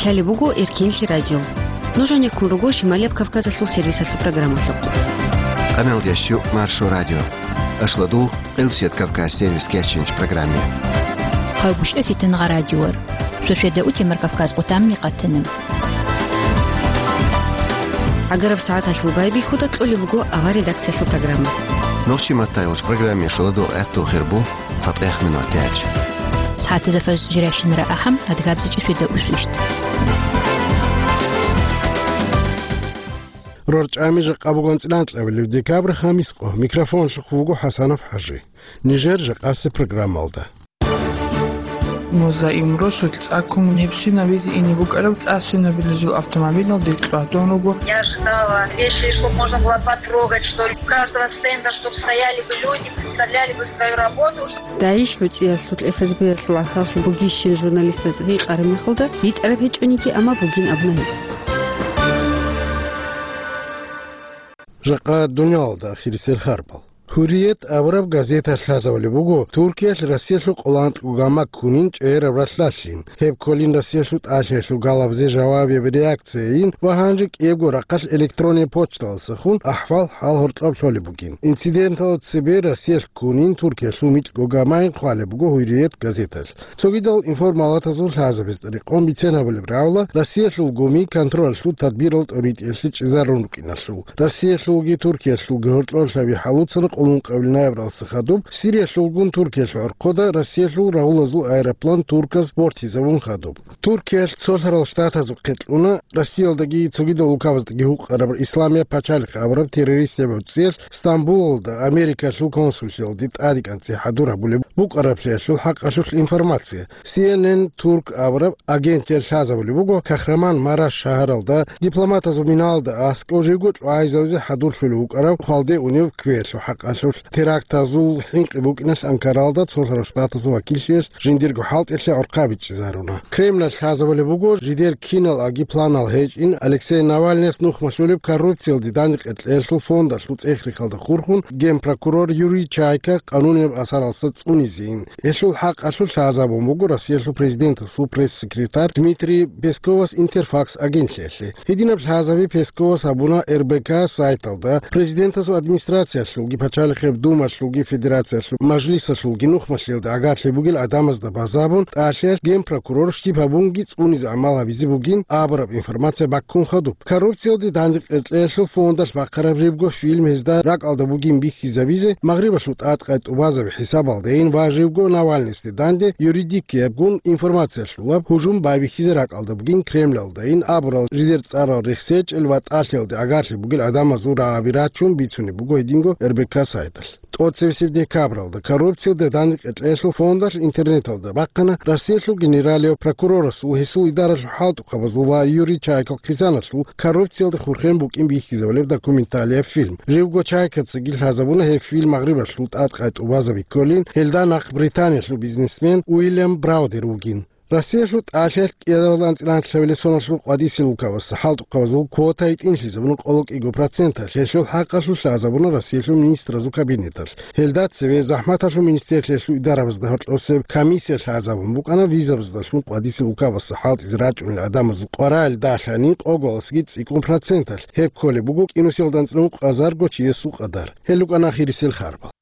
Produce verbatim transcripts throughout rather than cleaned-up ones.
Гьале буго Эркенлъи радио. Нуж гьанеккун руго Шималияб Кавказалъул сервисалъул программалъухъ. Къамелдящу Маршо радио. Ашладул Къилсият Кавказ сервис кечинч программе. Гьавгушев Фитангъа радиор. Сосведа утемар Кавказ къутамни къатана. ГӀагараб сагӀаталъул байбихьуда кьолеб буго авар редакциялъул программа. Нохчи маттайолч программе шоладул гӀатту хирбу. ЦатӀех минутач. СагӀатазда фажр жиращинара ахӀам, адгабзичӀи суда усвищт. РорчӀами жакъа бугон цӀиланкьабилев декабрь хамис къо. Микрофонлъухъ вуго ХӀасанов ХӀажи. Нижер жакъаси программалда. Музаим Росулъ цӀаккун гьебсинабизе ине букӀараб цӀа сунабилазул автомобилалде кьватун руго. Я ожидала вещи, чтоб можно было потрогать, что ли. У каждого стенда, чтоб стояли бы люди, представляли бы свою работу. ДАИШ гӀуцӀиялъул, ФСБ-ялъул гӀахьаллъи бугищин журналистаз гьикъараб мехалда, битӀараб гьечӀониги, амма бугин абуна гьес. Жакъа дуниялалда ахирисел харбал. Гьурриет абураб газета лъазабулеб буго Туркиялъ Россиялъул къоло анкьго гама ккунин чӀегӀераб ралъдалъин. Гьеб кколин Россиялъул тӀалъиялъул галабизе жавабияб реакцияйин ва гьанже кӀиябго рахъалъ электронный почталдасахун ахӀвал-хӀал гьоркьоб лъолеб бугин. Инциденталда цебе Россиялъ ккунин Туркиялъул микьго гамайин хъвалеб буго Гьурриет газеталъ. Цогидал информалатазул лъазабизе рекъон бицен гьабулеб рагӀула Россиялъул гуми контролалъул тадбирал тӀоритӀиялъе чӀезарун рукӀиналъул. Россиялъулги Туркиялъулги гьоркьорлъаби хӀалуцана къоло ункъабилеб ноябралдаса хадуб Сириялъулгун Туркиялъул гӀорхъода Россиялъул рагьулазул аэроплан турказ бортизабун хадуб. Туркиялъ Цолъарал Штатазухъе кьуна Россиялдаги цогидал улкабаздаги гьукъараб Исламияб пачалихъ абураб террористияб гӀуцӀиялъ Стамбулалда Америкалъул консуллъиялде тӀаде кӀанцӀи хӀадур гьабулеб букӀараблъиялъул хӀакъалъулъ информация. Си Эн Эн Турк абураб агентиялъ лъазабулеб буго Кахраман Мараш шагьаралда дипломатазул миналда аскӀов живго чӀвайзавизе хӀадурлъулев вукӀарав хвалде унев кквеялъул хӀакъалъулъ. Терактазул хӀинкъи букӀиналъ Анкаралда Цолъарал Штатазул вакиллъиялъ жиндирго хӀалтӀилъи гӀорхъа бичӀчӀизаруна. Кремлалъ лъазабулеб буго жидер кинал аги планал гьечӀин Алексей Навальныяс нухмалъулеб коррупциялде дандекъекьеялъул фондалъул цӀех-рехалда хурхун генпрокурор Юрий Чайка къанунияб асаралъа цӀунизейин. Гьелъул хӀакъалъулъ лъазабун буго Россиялъул президентасул пресс-секретарь Дмитрий Песковас Интерфакс агентлъиялъе. Гьединаб лъазаби Песковас гьабуна Р Б К сайталда, президентасул администрациялъулги, пачалихъеб думалъулги, федерациялъул мажлисалъулги нухмалъиялда гӀагарлъи бугел гӀадамазда базабун, тӀалъиялъ генпрокурор щиб гьабунги цӀунизе гӀамал гьабизе бугин абураб информация баккун хадуб. Коррупциялде дандекъекьеялъул фондалъ бахъараб жибго фильм гьезда ракӀалда бугин бихьизабизе, Магърибалъул тӀадкъай тӀубазаби хӀисабалдайин ва жибго Навальныйсде данде юридикиябгун информациялъулаб гьужум байбихьизе ракӀалда бугин Кремлалдайин абурал жидер цӀарал рехсечӀел ва тӀалъиялде гӀагарлъи бугел гӀадамазул рагӀаби рачун бицунеб буго гьединго Р Б К сайталъ. ТӀоцебесеб декабралда коррупциялде дандекъекьеялъул фондалъ интернеталда бахъана Россиялъул генералияв прокурорасул, гьесул идаралъул хӀалтӀухъабазул ва Юрий Чайкал хъизаналъул коррупциялде хурхен букӀин бихьизабулеб документалияб фильм. Живго Чайкацаги лъазабуна гьеб фильм Магърибалъул тӀадкъай тӀубазаби кколин, гьелда нахъ Британиялъул бизнесмен Уильям Браудер вугин. Россиялъул тӀалъиялъ кӀиялдалъун анцӀила анкьлъабилеб соналъул къватӀисел улкабазда хӀалтӀухъабазул квота гьитӀинлъизабуна къоло кӀиго проценталъ, гьелъул хӀакъалъулъ лъазабуна Россиялъул министразул кабинеталъ. Гьелда цеве захӀматалъул министрлъиялъул идарабазда гьоркьосеб комиссия лъазабун букӀана визабаздалъун къватӀисел улкабазда хӀалтӀизе рачӀунел гӀадамазул къваригӀел далъани къоголасги цӀикӀкӀун проценталъ, гьеб кколеб буго кӀинусиялда анцӀила ункъазарго чиясул къадар. Гьел рукӀана ахирисел харбал.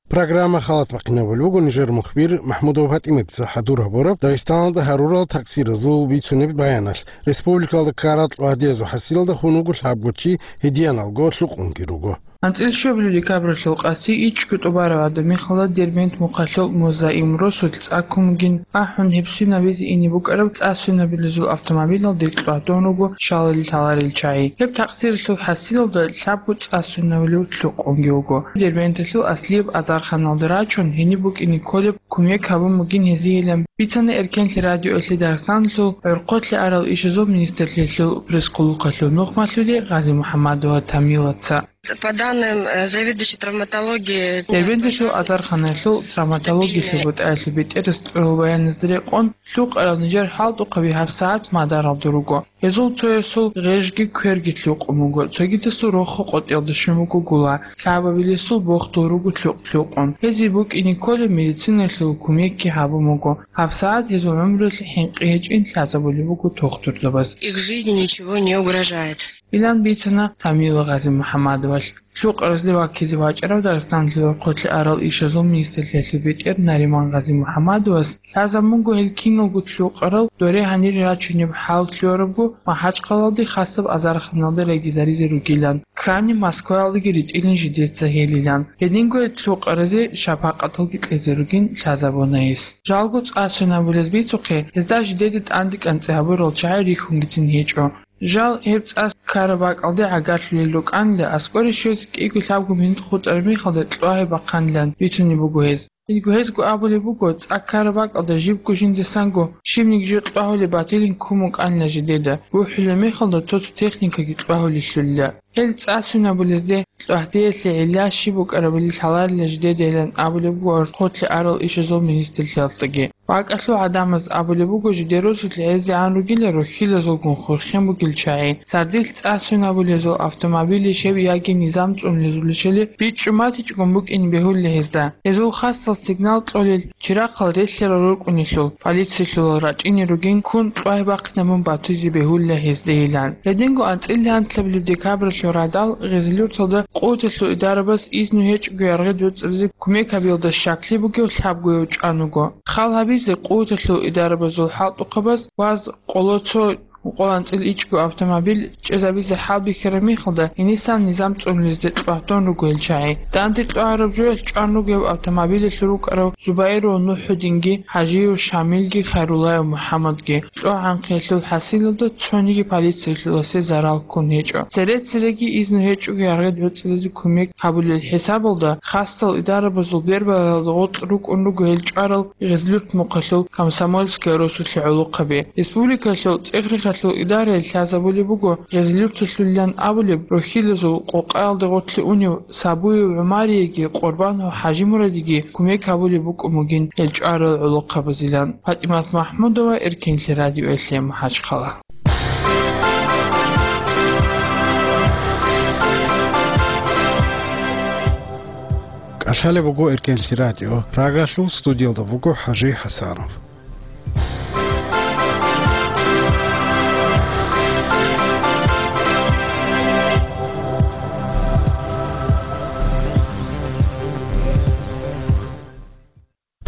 Программа халат бахъинабулеб буго нижер мухбир МахӀмудова ПатӀиматица хӀадур гьабураб Дагъистаналда гьарурал такъсиразул бицунеб баяналъ. Республикалда ккарал кьвагьдиязул хӀасилалда хун вуго лъабго чи, гьединалго лъукъунги руго. АнцӀила щуабилеб декабралъул къаси ичӀго тӀубараб гӀадаб мехалда Дербент мухъалъул Музаим Росулъ цӀаккун бугин, ахӀун гьебсинабизе ине букӀараб цӀа сунабилазул автомобилалде кьватун руго щалалил лъаларел чагӀи. Гьеб такъсиралъул хӀасилалда лъабго цӀа сунавулев лъукъунги вуго. Дербенталъул аслияб азарханалде рачун, гьениб букӀине кколеб кумек гьабун бугин гьезиеилан бицана Эркенлъи радиоялъе Дагъистаналъул гӀорхъолъи арал ишазул министрлъиялъул пресс-къуллукъалъул нухмалъули Гъази-МухӀамадова Тамилаца. По данным, э, заведующей травматологии, Дербенталъул азарханаялъул травматологиялъул бутӀаялъул бетӀерас кьурал баяназда рекъон, лъукъарал нижер хӀалтӀухъаби гьабсагӀат мадаралда руго. Гьезул цоясул гъежги кверги лъукъун буго, цогидасул рохо къотӀиялда щун буго гула, лъабабилесул бохдул руго лъукъ-лъукъун. Гьезие букӀине кколеб медицинаялъул кумекги гьабун буго. ГьабсагӀат гьезул гӀумруялъе хӀинкъи гьечӀин лъазабулеб буго тухтурзабаз. Их жизни ничего не угрожает. Илан бицана Тамила Гъазимухьамадовалъ. Лъукъаразде ваккизе вачӀарав Дагъистаналъул хъулъи арал ишазул министрлъиялъул бетӀер Нариман Гъазимухьамадовас лъазабун буго гьел киналго лъукъарал доре гьанире рачунеб хӀал лъугьарабго МахӀачхъалалде хасаб азарханалда регизаризе ругилан, крайне Москваялдаги ритӀилин жидеца гьелилан. Гьединго гьел лъукъаразе шапакъаталги кьезе ругин лъазабуна гьес. Жалго цӀа сунабулез бицухъе, гьезда жидеда тӀанде кӀанцӀи гьабурал чагӀи рихьунгицин гьечӀо. Жал гьеб цӀа ккараб бакӀалде гӀагарлъулел рукӀанила, аскӀоре щвезе кӀиго-лъабго минут хутӀараб мехалда кьвагьи бахъанилан бицунеб буго гьез. Гьелго гьезго абулеб буго, цӀа ккараб бакӀалда жибго жиндасанго щибниги жо кьвагьулеб батилин ккун букӀанила жидеда, бухӀулеб мехалда цо-цо техникаги кьвагьулелъулила. Гьел цӀа сунабулезде кьвагьдеялъе гӀилла щиб букӀарабали лъаларила жидедайилан абулеб буго хъулъи арал ишазул министрлъиялдаги. БакӀалъул гӀадамаз абулеб буго, жидер росулъ гӀезегӀан ругила рохьилазулгун хурхен бугел чагӀи, сардилъ цӀа сунабулезул автомобилищ гьеб яги низам цӀунулезулищали бичӀчӀун батичӀогун букӀин бегьулила гьезда. Гьезул хасал сигнал кьолел чирахъал релълъарал рукӀунелъул, полициялъулал рачӀине ругин ккун кьвагь бахъинабун батизе бегьулила гьездейилан. Гьединго анцӀила гьантлъабилеб декабралъул радал Гъезилюрталда къуваталъул идарабаз изну гьечӀого яргъи доцӀизе кумек гьабиялда щаклъи бугев лъабгояв чӀван вуго. Хал гьабизе къуваталъул идарабазул хӀалтӀухъабаз ваз къоло цо къоло анцӀила ичӀго автомобиль чӀезабизе хӀалбихьараб мехалда, гьенисан низам цӀунулезде кьвагьдун руго гьел чагӀи. Данде кьвагьараб жоялъ чӀван руго гьев автомобилялъул рукӀарав Зубаиров НухӀудинги, ХӀажиев Шамилги, Хайруллаев МухӀаммадги. КьвагӀанхъиялъул хӀасилалда цониги полициялъуласе зарал ккун гьечӀо. Цере-цереги изну гьечӀого яргъи доцӀизе кумек гьабулел хӀисабалда, хасал идарабазул бербалаялда гъоркь рукӀун руго гьел чӀварал Гъезлюрт мухъалъул Комсомольская росулъе гӀолохъаби. Республикалъул цӀехрехалъул идарае лъазабулеб буго Гъезлюрталъулилан абулеб рохьилазул къокъаялда гъоркье унев Сабуев ГӀумарияги Къурбанов ХӀажимурадиги кумек гьабулеб букӀун бугин гьел чӀварал гӀолохъабазилан. ПатӀимат МахӀмудова, Эркенлъи радиоялъе, МахӀачхъала. КӀалъалеб буго Эркенлъи радио. Прагалъул студиялда вуго ХӀажи ХӀасанов.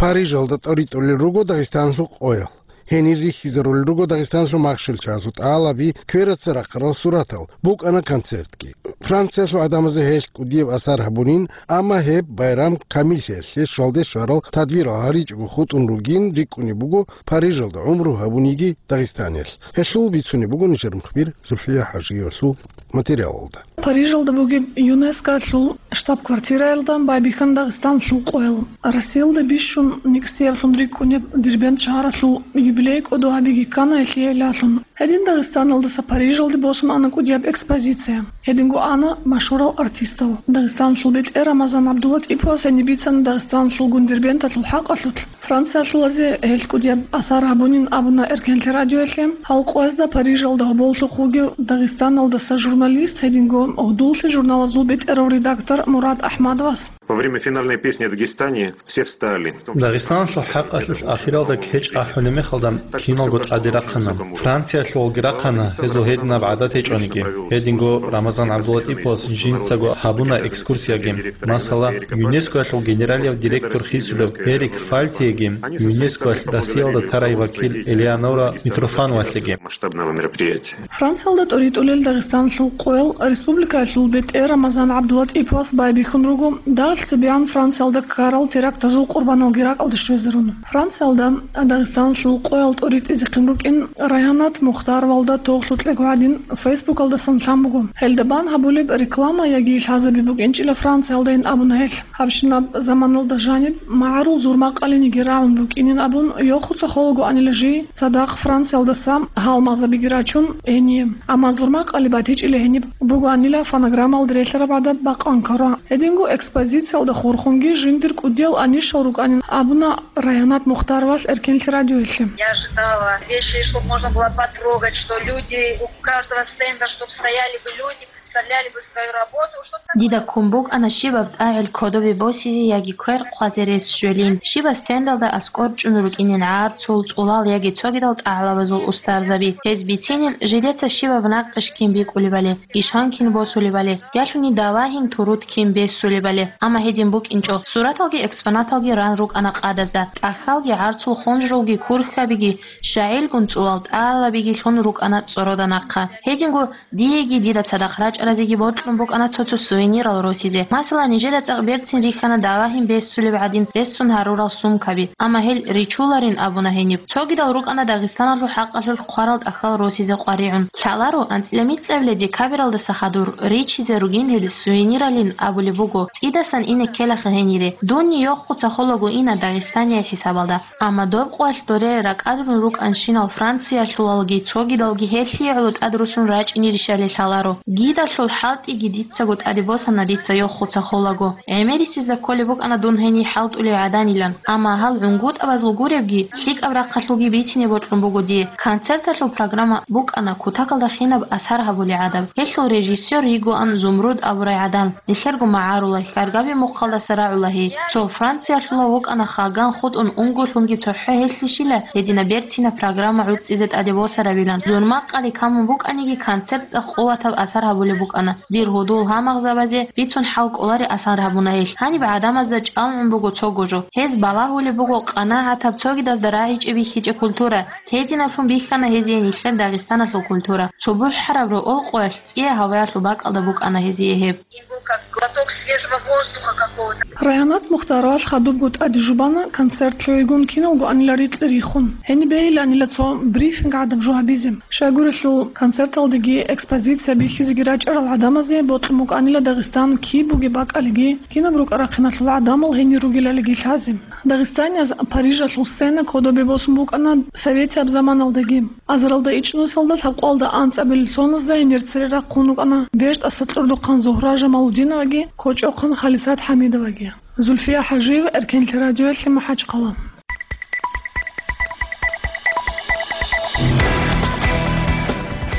Парижалда тӀоритӀулел руго Дагъистаналъул къоял. Гьенир рихьизарулел руго Дагъистаналъул махщел чагӀазул тӀалаби, квераца рахъарал суратал, букӀана концертги. Франциялъул гӀадамазе гьелъ кӀудияб асар гьабунин, амма гьеб байрам камиллъиялъе щвалде щварал тадбирал гьаричӀого хутӀун ругин рикӀкӀунеб буго Парижалда гӀумру гьабуниги Дагъистаниялъ. Гьелъул бицунеб буго нижер мухбир Зульфия ХӀажиевалъул материалалда. Парижалда бугеб ЮНЕСКОлъул штаб-квартираялда байбихьана Дагъистаналъул къоял. Россиялда бищун никсиявлъун рикӀкӀунеб Дербент шагьаралъул юбилей кӀодо гьабиги ккана гьелъие гӀиллалъун. Гьедин Дагъистаналдаса Парижалде босун ана кӀудияб экспозиция. Гьединго ана машгьурал артистал. Дагъистаналъул бетӀер Рамазан ГӀабдуллатӀиповас гьениб бицана Дагъистаналъулгун Дербенталъул хӀакъалъулъ Франциялъулазе гьелъ кӀудияб асар гьабунин абуна Эркенлъи радиоялъе. Гьал къоязда Парижалда гьоболлъухъ вугев Дагъистаналдаса журналист, гьединго гьудуллъи журналазул бетӀерав редактор Мурад АхӀмадовас. Во время финальной песни о Дагестане все встали. Дагъистаналъул хӀакъалъулъ ахиралда кечӀ ахӀулеб мехалда киналго тӀаде рахъана. Франциялъулги рахъана, гьезул гьединаб гӀадат гьечӀониги. Гьединго Рамазан ГӀабдуллатӀиповас жинцаго гьабуна экскурсияги. Масала, ЮНЕСКОялъул генералияв директор хисулев Эрик Фальтиеги, ЮНЕСКОялъ Россиялда тарай вакил Элеонора Митрофановалъеги. Масштабного мероприятия. Франциялда тӀоритӀулел Дагъистаналъул къоял республикаялъул бетӀер Рамазан ГӀабдуллатӀиповас байбихьун руго, дагьалъ цебегӀан Франциялда ккарал терактазул къурбаналги ракӀалде щвезарун. Франциялда Дагъистаналъул къоял тӀоритӀизехъин рукӀин Райгьанат Мухтаровалда тоглъу кьего гьадин Фейсбукалдасан лъан буго. Гьелда бан гьабулеб реклама яги лъазаби букӀинчӀила Франциялдайин абуна гьелъ. Гьабщинаб заманалда жаниб магӀарул зурмакъалиниги рагӀун букӀинин абун, йохуца холагоанила жий цадахъ Франциялдаса гьалмагъзабиги рачун гьение. Амма зурмакъали батичӀила гьениб бугоанила фонограммалда релълъараб гӀадаб бакъван ккарун. Гьединго экспозициялда хурхунги жиндир кӀудиял анищал рукӀанин абуна Райгьанат Мухтаровас Эркенлъи радиоялъе. Я ожидала вещи, чтобы можно было потрогать, что люди у каждого стенда, чтобы стояли бы люди, представляли бы свою работу. Дида ккун букӀана щибаб тӀагӀел кодобе босизе яги квер хъвазе рес щвелин, щибаб стендалда аскӀор чӀун рукӀинин гӀарцул, цӀулал яги цогидал тӀагӀлабазул устарзаби. Гьез бицинин, жидеца щибаб накъиш кин бикӀулебали, ишан кин босулебали, ялъуни давагьин турут кин бесулебали. Амма гьедин букӀинчӀо, сураталги экспонаталги ран рукӀана къадазда, тӀахьалги гӀарцул хунжрулги курхьабиги, щагӀилгун цӀулал тӀагӀлабиги лъун рукӀана цӀорода нахъа. Гьединго диеги дида цадахъ рачӀаразеги бокьун букӀана цо-цо сувенирал росизе. Масала, нижеда цӀакъ берцин рихьана давагьин бесулеб гӀадин ресун гьарурал сумкаби, амма гьел ричуларин абуна гьениб. Цогидал рукӀана Дагъистаналъул хӀакъалъулъ хъварал тӀахьал росизе къваригӀун. Лъаларо, анцӀила мицӀабила декабралдаса хадур ричизе ругин гьел сувениралин абулеб буго, цӀидасан ине ккелаха гьенире. Дунни йохуца холаго ина Дагъистания хӀисабалда. Амма доб къоялъ доре ракӀалдун рукӀанщинал Франциялъулалги цогидалги гьелъие гӀоло тӀад русун рачӀинирищали лъаларо. Гидалъул хӀалтӀиги дицаго тӀаде босана дица йохуца холаго. ГӀемерисезда кколеб букӀана дун гьениб хӀалтӀулев гӀаданилан. Амма гьал гӀунгутӀабазул гуребги, лъикӀаб рахъалъулги бицине бокьун буго дие. Концерталъул программа букӀана кутакалда хинаб асар гьабулей гӀадаб. Гьелъул режиссер йигоан Зумруд абурай гӀадан. Нилъерго магӀарула, хьаргаби мухъалдаса рагӀула гьей. Цо Франциялъула вукӀана хаган хутӀун унго лъунги цохӀо гьелъищила гьединаб берцинаб программа гӀуцӀизе тӀаде босарабилан. Зун макъали камун букӀаниги, концерт цӀакъ къуватаб асар гьабулеб букӀана. Дир гьудул гьамагъзабазе бицун хӀал кӀолари асар гьабуна гьелъ. Гьаниб гӀадамазда чӀалгӀун буго цого жо. Гьез балагьулеб буго къанагӀатаб цогидазда рагӀичӀеб бихьичӀеб культура. Гьединаблъун бихьана гьезие нилъер Дагъистаналъул культура. Цо бухӀараб рокъолъ цӀия гьаваялъул бакӀалда букӀана гьезие гьеб. Им был как глоток свежего воздуха какого-то. Райгьанат Мухтаровалъ хадубго тӀаде жубана концерт лъугӀигун киналго анила рикьи рихун. Гьениб бегьиланила цо брифинг гӀадаб жо гьабизе. Щайгурелъул концерталдеги экспозиция бихьизеги рачӀарал гӀадамазе бокьун букӀанила Дагъистан киб бугеб бакӀалиги, кинаб рукӀа-рахъиналъул гӀадамал гьенир ругелалиги лъазе. Дагъистанияз Парижалъул сцена кодобе босун букӀана советияб заманалдаги. Азаралда ичӀнусалда лъабкъоялда анцӀабилеб соназда гьенир цере рахъун рукӀана БертӀаса кьурдухъан Зугьра Жамалудиноваги кочӀохъан Халисат ХӀамидоваги. Зульфия ХӀажиева, Эркенлъи радиоялъе, МахӀачхъала.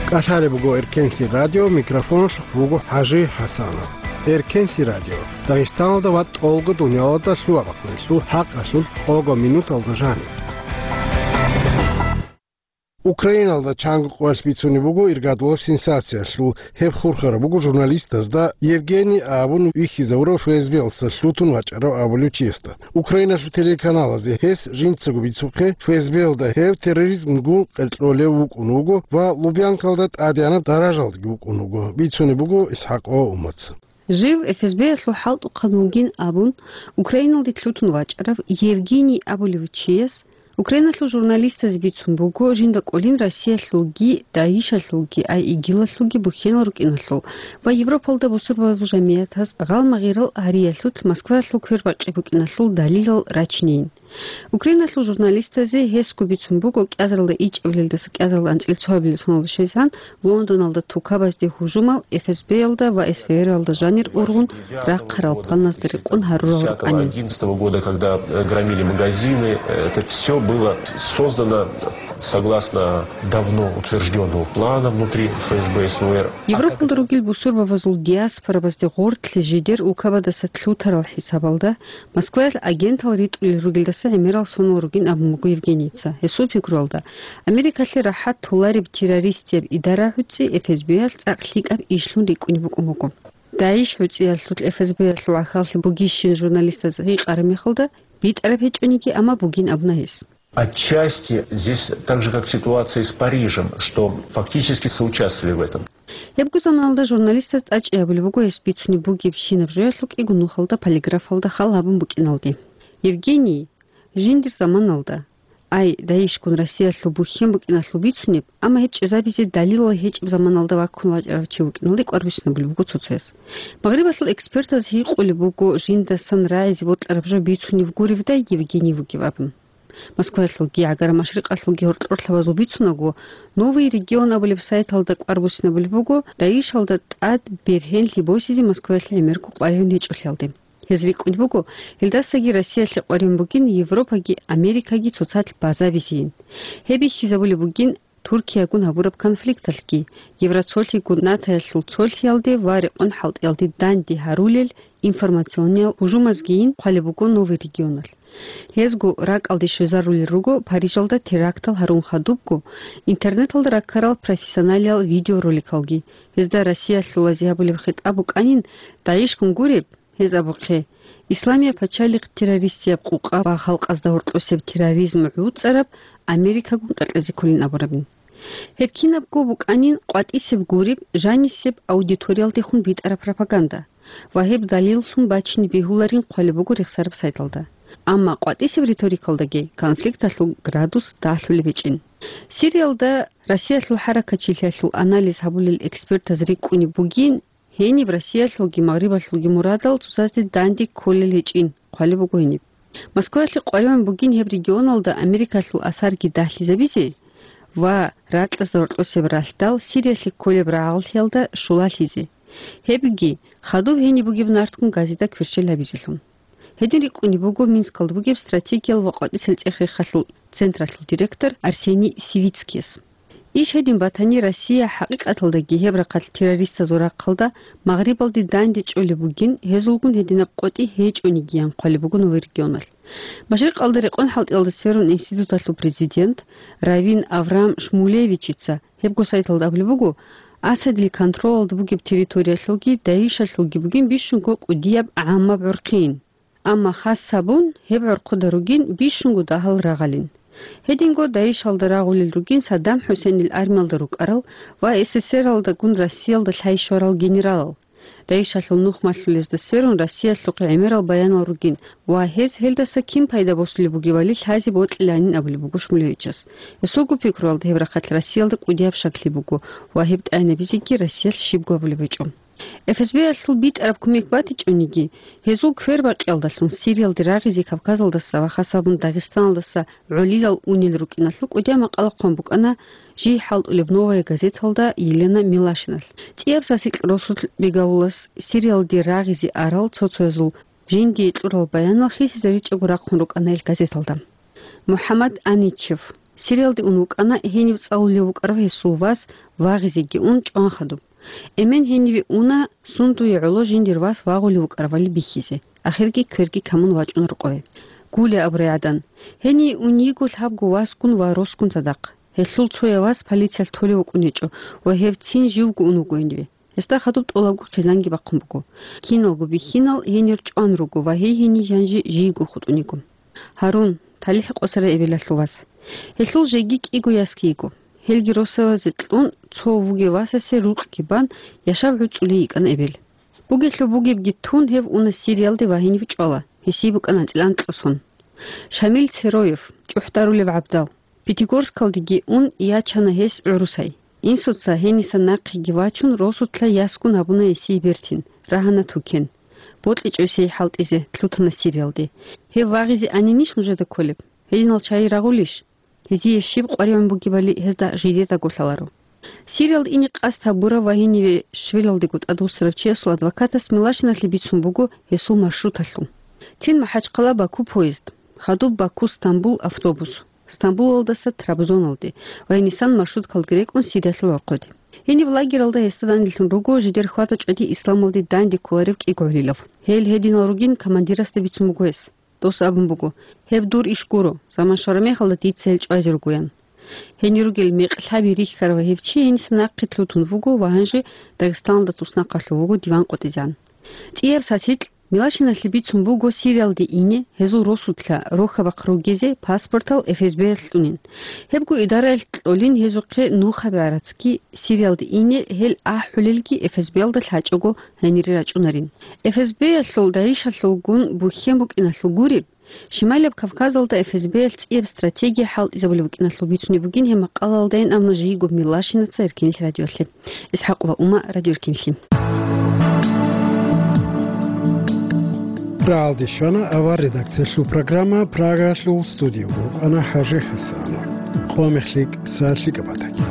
КӀалъалеб буго Эркенлъи радио, микрофоналъухъ буго ХӀажи ХӀасанов. Эркенлъи радио, Дагъистаналда ва тӀолго дуниялалда лъугьа-бахъиналъул хӀакъалъулъ тӀолго минуталда жаниб. Украиналда чанго къоялъ бицунеб буго иргадулаб сенсациялъул. Гьеб хурхараб буго журналистазда Евгений абун вихьизавурав ФСБ-ялдаса лъутун вачӀарав абулев чиясда. Украиналъул телеканалазе гьес жинцаго бицухъе, ФСБ-ялда гьев терроризмгун къеркьолев вукӀун вуго ва Лубянкалда тӀадегӀанаб даражалдаги вукӀун вуго, бицунеб буго ИсхӀакъова Умаца. Жив ФСБ-ялъул хӀалтӀухъан вугин абун, Украиналде лъутун вачӀарав Евгений абулев чияс Украиналъул журналистазе бицун буго, жинда кӀолин Россиялъулги, ДАИШалъулги, ай ИГИЛалъулги бухьенал рукӀиналъул ва Европалда бусурбабазул жамигӀатас гъалмагъирал гьариялъулъ Москваялъул квербакъи букӀиналъул далилал рачинейин. Украиналъул журналистазе гьесго бицун буго, кӀиазаралда ичӀабилелдаса кӀиазаралда анцӀила цоабилеб соналда щвезегӀан Лондоналда тукабазде гьужумал ФСБ-ялда ва СВР-алда жанир ургъун рахъарал планазда рекъон гьарурал рукӀанин. Одиннадцатого года, когда, э, громили магазины, э, это всё было создано согласно давно утверждённого плана внутри ФСБ, СВР. Европалда ругел бусурбабазул диаспорабазде гъоркьлъи жидер улкабадаса лъутарал хӀисабалда Москваялъ агентал ритӀулел ругелдаса гӀемерал сонал ругин абун буго Евгенийица. Гьесул пикруялда, Америкалъе рахӀат толареб террористияб идара гӀуцӀи ФСБ-ялъ цӀакъ лъикӀаб ишлъун рикӀкӀунеб букӀун буго. ДАИШ гӀуцӀиялъулъ ФСБ-ялъул гӀахьаллъи бугищин журналистаз гьикъараб мехалда, битӀараб гьечӀониги, амма бугин абуна гьес. Отчасти здесь так же, как ситуация с Парижем, что фактически соучаствовали в этом. Гьебго заманалда журналистаз тӀачӀи гьабулеб буго гьес бицунеб бугебщинаб жоялъул кӀиго нухалда полиграфалда хал гьабун букӀиналде. Евгений, жиндир заманалда, ай, ДАИШгун Россиялъул бухьен букӀиналъул бицунеб, амма гьеб чӀезабизе далилал гьечӀеб заманалда ваккун вачӀарав чи вукӀиналде кӀвар буссинабулеб буго цо-цояс. Магърибалъул экспертаз гьикъулеб буго, жиндасан рагӀизе бокьараб жо бицунеб гуребдай Евгений вугев абун. Москваялъулги, ГӀагара-Машрикъалъулги гьоркьорлъабазул бицунаго, «Новый регион» абулеб сайталда кӀвар буссинабулеб буго, ДАИШалда тӀад бергьенлъи босизе Москваялъе гӀемерго къваригӀун гьечӀолъиялде. Гьез рикӀкӀунеб буго, гьелдасаги Россиялъе къваригӀун бугин Европаги Америкаги цоцазда базабизейин. Гьеб бихьизабулеб бугин Туркиягун гьабураб конфликталъги, Евроцолъигун НАТОялъул цолъиялде ва рекъон-хӀалтӀиялде данде гьарулел информациониял гьужумазгийин хъвалеб буго Новый регионалъ. Гьезго ракӀалде щвезарулел руго Парижалда терактал гьарун хадубго интернеталда раккарал профессионалиял видеороликалги. Гьезда Россиялъулазе гьабулеб хитӀаб букӀанин, ДАИШгун гуреб, гьез абухъе, Исламияб пачалихъ террористияб къукъа ва халкъазда гьоркьосеб терроризм гӀуцӀараб Америкагун къеркьезе кколин абурабин. Гьеб кинабго букӀанин къватӀисеб гуреб, жанисеб аудиториялдехун битӀараб пропаганда ва гьеб далиллъун бачине бегьуларин хъвалеб буго рехсараб сайталда. Амма къватӀисеб риторикалдаги конфликталъул градус дагьлъулеб гьечӀин. Сириялда Россиялъул хӀаракатчилъиялъул анализ гьабулел экспертаз рикӀкӀунеб бугин, гьениб Россиялъулги Магърибалъулги мурадал цоцазде данде кколел гьечӀин хъвалеб буго гьениб. Москваялъе къваригӀун бугин гьеб регионалда Америкалъул асарги дагьлъизабизе ва ракьазда гьоркьосеб ралъдал Сириялъе кколеб рагӀаллъиялда щулалъизе. Гьебги, хадуб гьениб бугеб нарткъун газида кверщел гьабизелъун. Гьедин рикӀкӀунеб буго Минскалда бугеб стратегиял ва къватӀисел цӀех-рехалъул централъул директор Арсений Сивицкияс. Иш гьедин батани, Россия хӀакъикъаталдаги гьеб рахъалъ террористазул рахъалда Магърибалде данде чӀолеб бугин, гьезулгун гьединаб къотӀи гьечӀонигиян хъвалеб буго Новый регионалъ. Машрикъалда рекъон-хӀалтӀиялда сверун институталъул президент Равин Авраам Шмулевичица гьебго сайталда абулеб буго, Асадил контролалда бугеб территориялъулги ДАИШалъулги бугин бищунго кӀудияб гӀаммаб гӀурхъийин. Амма хас гьабун, гьеб гӀурхъуда ругин бищунго дагьал рагъалин. Гьединго ДАИШалда рагъулел ругин Саддам ХӀусейнил армиялда рукӀарал ва СССРалдагун Россиялда лъай щварал генералал. ДАИШалъул нух малъулезда сверун Россиялъухъе гӀемерал баянал ругин ва гьез гьелдаса кин пайда босулеб бугебали лъазе бокьиланин абулеб буго Шмулевичас. Гьесулго пикруялда гьеб рахъалъ Россиялда кӀудияб щаклъи буго ва гьеб тӀайнабизеги Россиялъ щибго абулеб гьечӀо. ФСБ-ялъул битӀараб кумек батичӀониги, гьезул квербакъиялдалъун Сириялде рагъизе Кавказалдаса ва хасабун Дагъистаналдаса гӀолилал унел рукӀиналъул кӀудияб макъала хъван букӀана жий хӀалтӀулеб «Новая газеталда» Елена Милашиналъ. ЦӀияб сасикь росулъ Бегавулас Сириялде рагъизе арал цо-цоязул жиндие кьурал баянал хисизаричӀого рахъун рукӀана ил газеталда. МухӀаммад Аничев Сириялде ун вукӀана, гьенив цӀалулев вукӀарав гьесул вас вагъизеги ун чӀван хадуб. Эмен гьениве уна, сундуе гӀоло жиндир вас вагъулев вукӀаравали бихьизе, ахирги кверги камун вачӀуна рокъове. Гуля абурай гӀадан, гьение ун йиго лъабго васгун ва росгун цадахъ. Гьелъул цояв вас полициялъ толев вукӀун гьечӀо ва гьев цин живго ун вуго гьениве. Гьесда хадуб тӀолабго хъизанги бахъун буго. Киналго бихьинал гьенир чӀван руго ва гьей гьенив жанжи жийго хутӀун йиго. Гьарун, талихӀ къосарай эбелалъул вас. Гьелъул жеги кӀиго ясги йиго. Гьелги росавазе кьун, цо вугев васасе рукъги бан, яшав гӀуцӀулей йикӀана эбел. Бугелъул бугебги тун, гьев уна Сириялде ва гьенив чӀвала, гьесие букӀана анцӀила анкьго сон. Шамил Цероев, чӀухӀдарулев гӀабдал. Пятигорскалдеги ун ячана гьес гӀурусай. Инсуца гьенисан нахъеги вачун, росулъа ясгун гьабуна гьесие бертин, рагьана тукен. БокьичӀо гьесие хӀалтӀизе, лъутана Сириялде. Гьев вагъизе анинищ нужеда кколеб? Гьединал чагӀи рагъулищ? Гьезие щиб къваригӀун бугебали гьезда жидедаго лъаларо. Сириялда ине къасд гьабурав ва гьениве Швелалдего тӀадвуссарав чиясул адвокатас Милашиналъе бицун буго гьесул маршруталъул. Цин МахӀачхъала-Баку поезд, хадуб Баку-Стамбул автобус, Стамбулалдаса Трабзоналде ва гьенисан маршруткалги рекӀун Сириялъул гӀорхъоде. Гьениб лагералда гьесда данделъун руго жидер хьвада-чӀвади исламалде данде кколарев кӀиго гӀолилав. Гьел гьединал ругин командирасда бицун буго гьес. Дос абун буго: «Гьеб дур иш гуро, заман щвараб мехалда дица гьел чӀвазе ругоян». Гьенир ругел мекъ лъаби рихьарав гьев чи гьениса нахъе лъутун вуго ва гьанже Дагъистаналда туснахъалъув вуго диван къотӀизегӀан. ЦӀияб сасикь Милашиналъе бицун буго Сириялде ине, гьезул росулъа рохьабахъ ругезе паспортал ФСБ-ялъ кьунин. Гьебго идараялъ кьолин гьезухъе нухаб гӀарацги, Сириялде ине гьел ахӀулелги ФСБ-ялда лъачӀого гьенире рачӀунарин. ФСБ-ялъул, ДАИШ-алъулгун бухьен букӀиналъул гуреб, Шималияб Кавказалда ФСБ-ялъ цӀияб стратегия хӀалтӀизабулеб букӀиналъул бицунеб бугин гьеб макъалаялда, ин абуна жийго Милашинаца Эркенлъи радиоялъе. Исхьакъова Ума, Радио Эркенлъи. Рагьалде щвана авар редакциялъул программа, Прагалъул студиялда вукӀана ХӀажи ХӀасанов. Къо мехлъи, са лъикӀаб батаги.